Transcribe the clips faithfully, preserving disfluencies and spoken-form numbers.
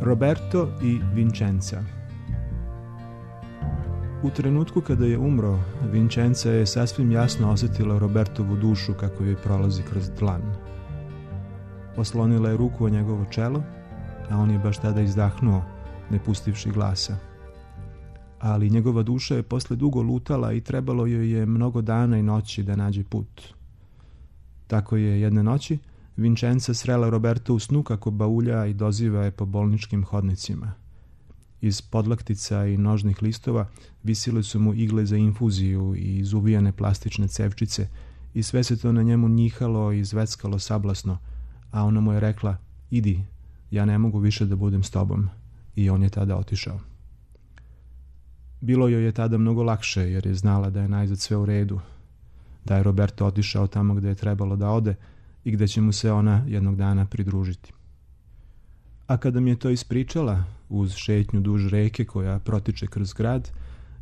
Roberto i Vincenza. U trenutku kada je umro, Vincenza je sasvim jasno osjetila Robertovu dušu kako joj prolazi kroz dlan. Oslonila je ruku o njegovo čelo, a on je baš tada izdahnuo, ne pustivši glasa. Ali njegova duša je posle dugo lutala i trebalo joj je mnogo dana i noći da nađe put. Tako je jedne noći Vincenza srela Roberto u snu kako baulja i doziva je po bolničkim hodnicima. Iz podlaktica i nožnih listova visile su mu igle za infuziju i izuvijane plastične cevčice i sve se to na njemu njihalo i zveckalo sablasno, a ona mu je rekla: idi, ja ne mogu više da budem s tobom. I on je tada otišao. Bilo joj je tada mnogo lakše jer je znala da je najzad sve u redu, da je Roberto otišao tamo gde je trebalo da ode i gde će mu se ona jednog dana pridružiti. A kada mi je to ispričala, uz šetnju duž reke koja protiče kroz grad,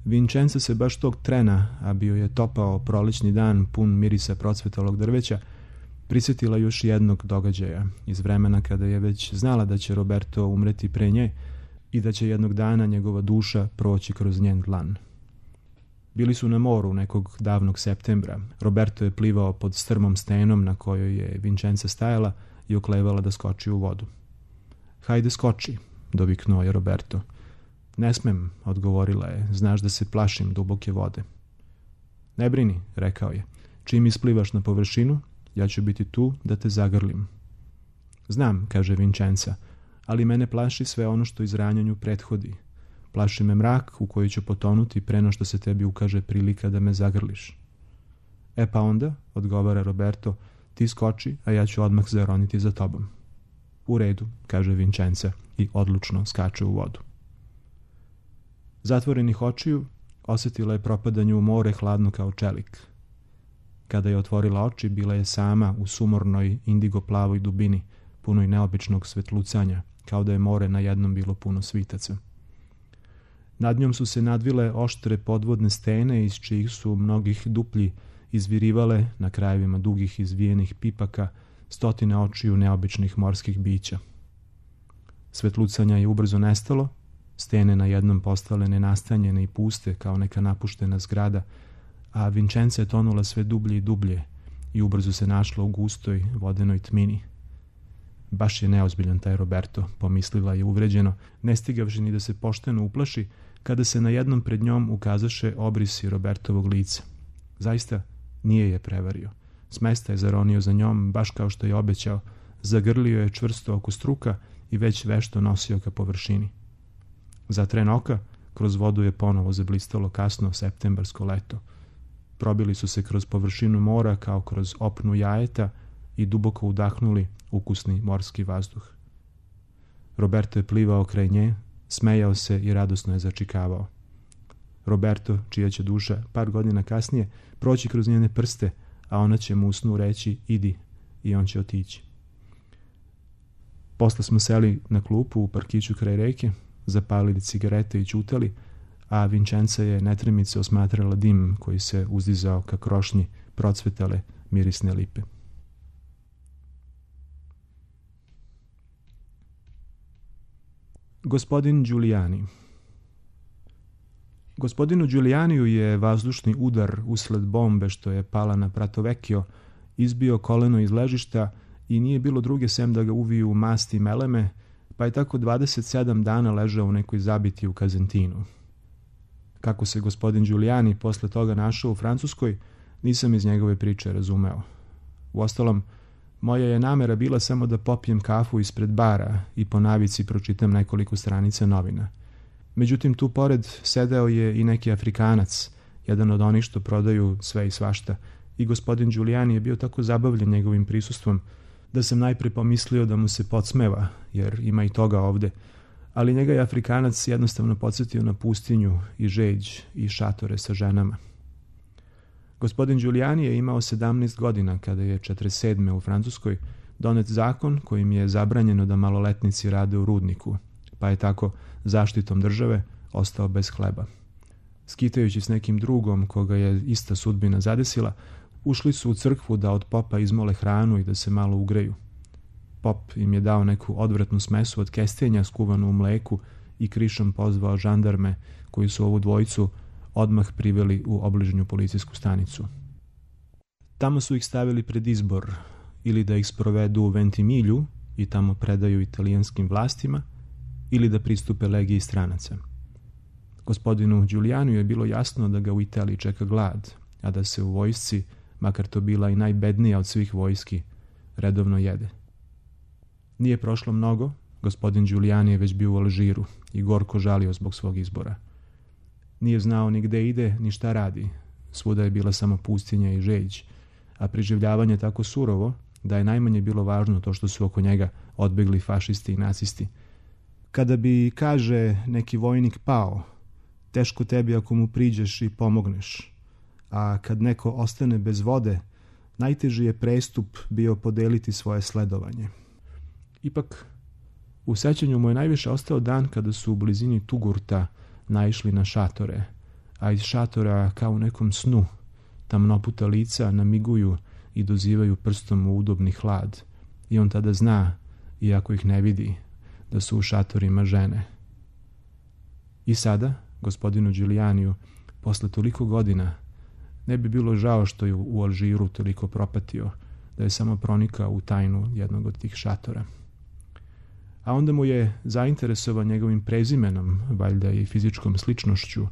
Vincenza se baš tog trena, a bio je topao prolećni dan pun mirisa procvetalog drveća, prisjetila još jednog događaja iz vremena kada je već znala da će Roberto umreti pre nje i da će jednog dana njegova duša proći kroz njen dlan. Bili su na moru nekog davnog septembra. Roberto je plivao pod strmom stenom na kojoj je Vincenza stajala i oklevala da skoči u vodu. Hajde skoči, doviknuo je Roberto. Ne smem, odgovorila je, znaš da se plašim duboke vode. Ne brini, rekao je, čim isplivaš na površinu, ja ću biti tu da te zagrlim. Znam, kaže Vincenza, ali mene plaši sve ono što izranjanju prethodi. Plaši me mrak u koji ću potonuti preno što se tebi ukaže prilika da me zagrliš. E pa onda, odgovara Roberto, ti skoči, a ja ću odmah zaroniti za tobom. U redu, kaže Vincenza i odlučno skače u vodu. Zatvorenih očiju osjetila je propadanje u more hladno kao čelik. Kada je otvorila oči, bila je sama u sumornoj indigo-plavoj dubini, punoj neobičnog svetlucanja, kao da je more na jednom bilo puno svitaca. Nad njom su se nadvile oštre podvodne stene iz čijih su mnogih duplji izvirivale na krajevima dugih izvijenih pipaka stotine očiju neobičnih morskih bića. Svetlucanja je ubrzo nestalo, stene na jednom postale nenastanjene i puste kao neka napuštena zgrada, a Vincenza je tonula sve dublje i dublje i ubrzo se našla u gustoj vodenoj tmini. Baš je neozbiljan taj Roberto, pomislila je uvređeno, ne stigavši ni da se pošteno uplaši, kada se na jednom pred njom ukazaše obrisi Robertovog lica. Zaista nije je prevario. S mesta je zaronio za njom, baš kao što je obećao, zagrlio je čvrsto oko struka i već vešto nosio ka površini. Za tren oka, kroz vodu je ponovo zablistalo kasno septembarsko leto. Probili su se kroz površinu mora kao kroz opnu jajeta i duboko udahnuli ukusni morski vazduh. Roberto je plivao kraj nje, smejao se i radosno je začikavao. Roberto, čija će duša par godina kasnije proći kroz njene prste, a ona će mu u snu reći idi i on će otići. Posle smo seli na klupu u parkiću kraj reke, zapalili cigarete i ćutali, a Vincenza je netremice osmatrala dim koji se uzdizao ka krošnji procvetale mirisne lipe. Gospodin Giuliani. Gospodinu Giulianiju je vazdušni udar usled bombe što je pala na Prato Vecchio izbio koleno iz ležišta i nije bilo druge sem da ga uviju masti meleme, pa je tako dvadeset sedam dana ležao u nekoj zabiti u Kazentinu. Kako se gospodin Giuliani posle toga našao u Francuskoj, nisam iz njegove priče razumeo. Uostalom, moja je namera bila samo da popijem kafu ispred bara i po navici pročitam nekoliko stranica novina. Međutim, tu pored sedeo je i neki Afrikanac, jedan od onih što prodaju sve i svašta, i gospodin Giuliani je bio tako zabavljen njegovim prisustvom da sam najpre pomislio da mu se podsmeva, jer ima i toga ovde, ali njega je Afrikanac jednostavno podsjetio na pustinju i žeđ i šatore sa ženama. Gospodin Giuliani je imao sedamnaest godina kada je četrdeset sedme u Francuskoj donet zakon kojim je zabranjeno da maloletnici rade u rudniku, pa je tako zaštitom države ostao bez hleba. Skitajući s nekim drugom koga je ista sudbina zadesila, ušli su u crkvu da od popa izmole hranu i da se malo ugreju. pop im je dao neku odvratnu smesu od kestenja skuvanu u mleku i krišom pozvao žandarme koji su ovu dvojicu odmah priveli u obližnju policijsku stanicu. Tamo su ih stavili pred izbor, ili da ih sprovedu u Ventimilju i tamo predaju italijanskim vlastima, ili da pristupe legiji stranaca. Gospodinu Giulianiju je bilo jasno da ga u Italiji čeka glad, a da se u vojsci, makar to bila i najbednija od svih vojski, redovno jede. Nije prošlo mnogo, gospodin Giuliani je već bio u Alžiru i gorko žalio zbog svog izbora. Nije znao ni gde ide, ni šta radi. Svuda je bila samo pustinja i žeđ, a preživljavanje tako surovo da je najmanje bilo važno to što su oko njega odbegli fašisti i nacisti. Kada bi, kaže, neki vojnik pao, teško tebi ako mu priđeš i pomogneš, a kad neko ostane bez vode, najteži je prestup bio podeliti svoje sledovanje. Ipak, u sećanju mu je najviše ostao dan kada su u blizini Tugurta naišli na šatore, a iz šatora kao u nekom snu tamnoputa lica namiguju i dozivaju prstom u udobni hlad i on tada zna, iako ih ne vidi, da su u šatorima žene. I sada, gospodinu Giulianiju, posle toliko godina, ne bi bilo žao što je u Alžiru toliko propatio, da je samo pronikao u tajnu jednog od tih šatora. A onda mu je zainteresovan njegovim prezimenom, valjda i fizičkom sličnošću,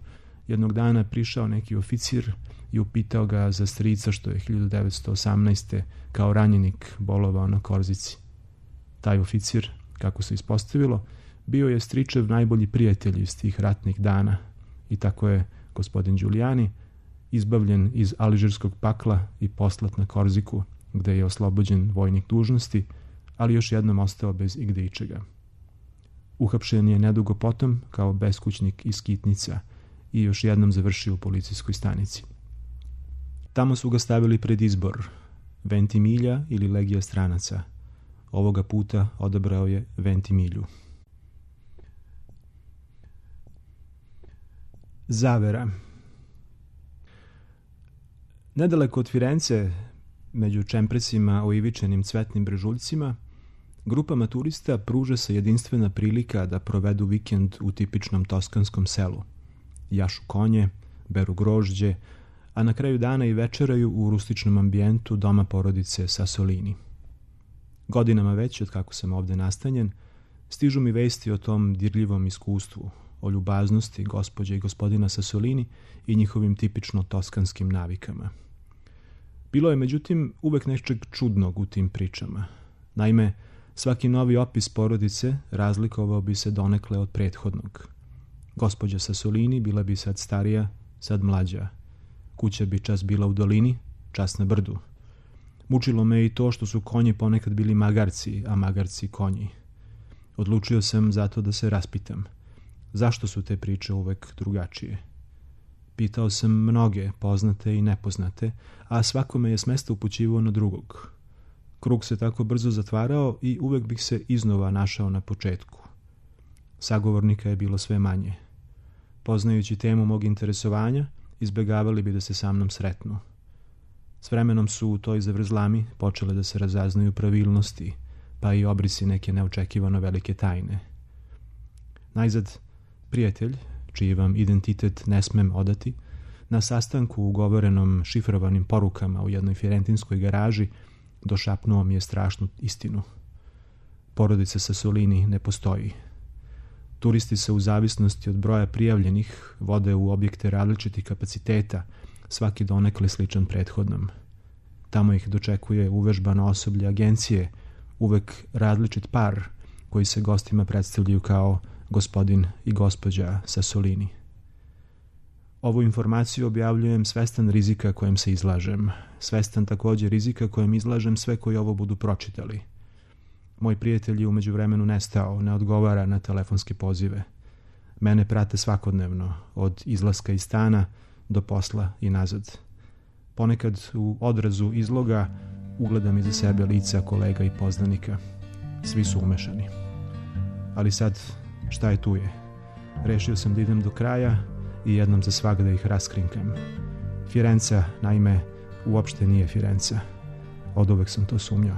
jednog dana prišao neki oficir i upitao ga za strica što je hiljadu devetsto osamnaeste. kao ranjenik bolovao na Korzici. Taj oficir, kako se ispostavilo, bio je stričev najbolji prijatelj iz tih ratnih dana i tako je gospodin Giuliani izbavljen iz alžirskog pakla i poslat na Korziku, gde je oslobođen vojnih dužnosti, ali još jednom ostao bez igde ičega. Uhapšen je nedugo potom kao beskućnik iz Kitnica i još jednom završio u policijskoj stanici. Tamo su ga stavili pred izbor, Ventimilja ili legija stranaca. Ovoga puta odabrao je Ventimilju. Zavera. Nedaleko od Firence, među čempresima oivičenim cvetnim brežuljcima, grupama turista pruža se jedinstvena prilika da provedu vikend u tipičnom toskanskom selu. Jašu konje, beru grožđe, a na kraju dana i večeraju u rustičnom ambijentu doma porodice Sassolini. Godinama već, od kako sam ovde nastanjen, stižu mi vesti o tom dirljivom iskustvu, o ljubaznosti gospođe i gospodina Sassolini i njihovim tipično toskanskim navikama. Bilo je, međutim, uvek nečeg čudnog u tim pričama. Naime, svaki novi opis porodice razlikovao bi se donekle od prethodnog. Gospođa Sassolini bila bi sad starija, sad mlađa. Kuća bi čas bila u dolini, čas na brdu. Mučilo me i to što su konji ponekad bili magarci, a magarci konji. Odlučio sam zato da se raspitam. Zašto su te priče uvek drugačije? Pitao sam mnoge, poznate i nepoznate, a svakome je s mesta upućivao na drugog. Krug se tako brzo zatvarao i uvek bih se iznova našao na početku. Sagovornika je bilo sve manje. Poznajući temu mog interesovanja, izbegavali bi da se sa mnom sretnu. S vremenom su u toj zavrzlami počele da se razaznaju pravilnosti, pa i obrisi neke neočekivano velike tajne. Najzad, prijatelj, čiji vam identitet ne smem odati, na sastanku ugovorenom šifrovanim porukama u jednoj firentinskoj garaži došapnuo mi je strašnu istinu. Porodica Sassolini ne postoji. Turisti se u zavisnosti od broja prijavljenih vode u objekte različitih kapaciteta, svaki donekle sličan prethodnom. Tamo ih dočekuje uvežbano osoblje agencije, uvek različit par koji se gostima predstavljaju kao gospodin i gospođa Sassolini. Ovu informaciju objavljujem svestan rizika kojem se izlažem, svestan također rizika kojem izlažem sve koji ovo budu pročitali. Moj prijatelj je u međuvremenu nestao, ne odgovara na telefonske pozive. Mene prate svakodnevno, od izlaska iz stana do posla i nazad. Ponekad u odrazu izloga ugledam iza sebe lica kolega i poznanika. Svi su umešani. Ali sad, šta je tu je? Rešio sam da idem do kraja i jednom za svak da ih raskrinkam. Firenca, naime, uopšte nije Firenca. Oduvek sam to sumnjao.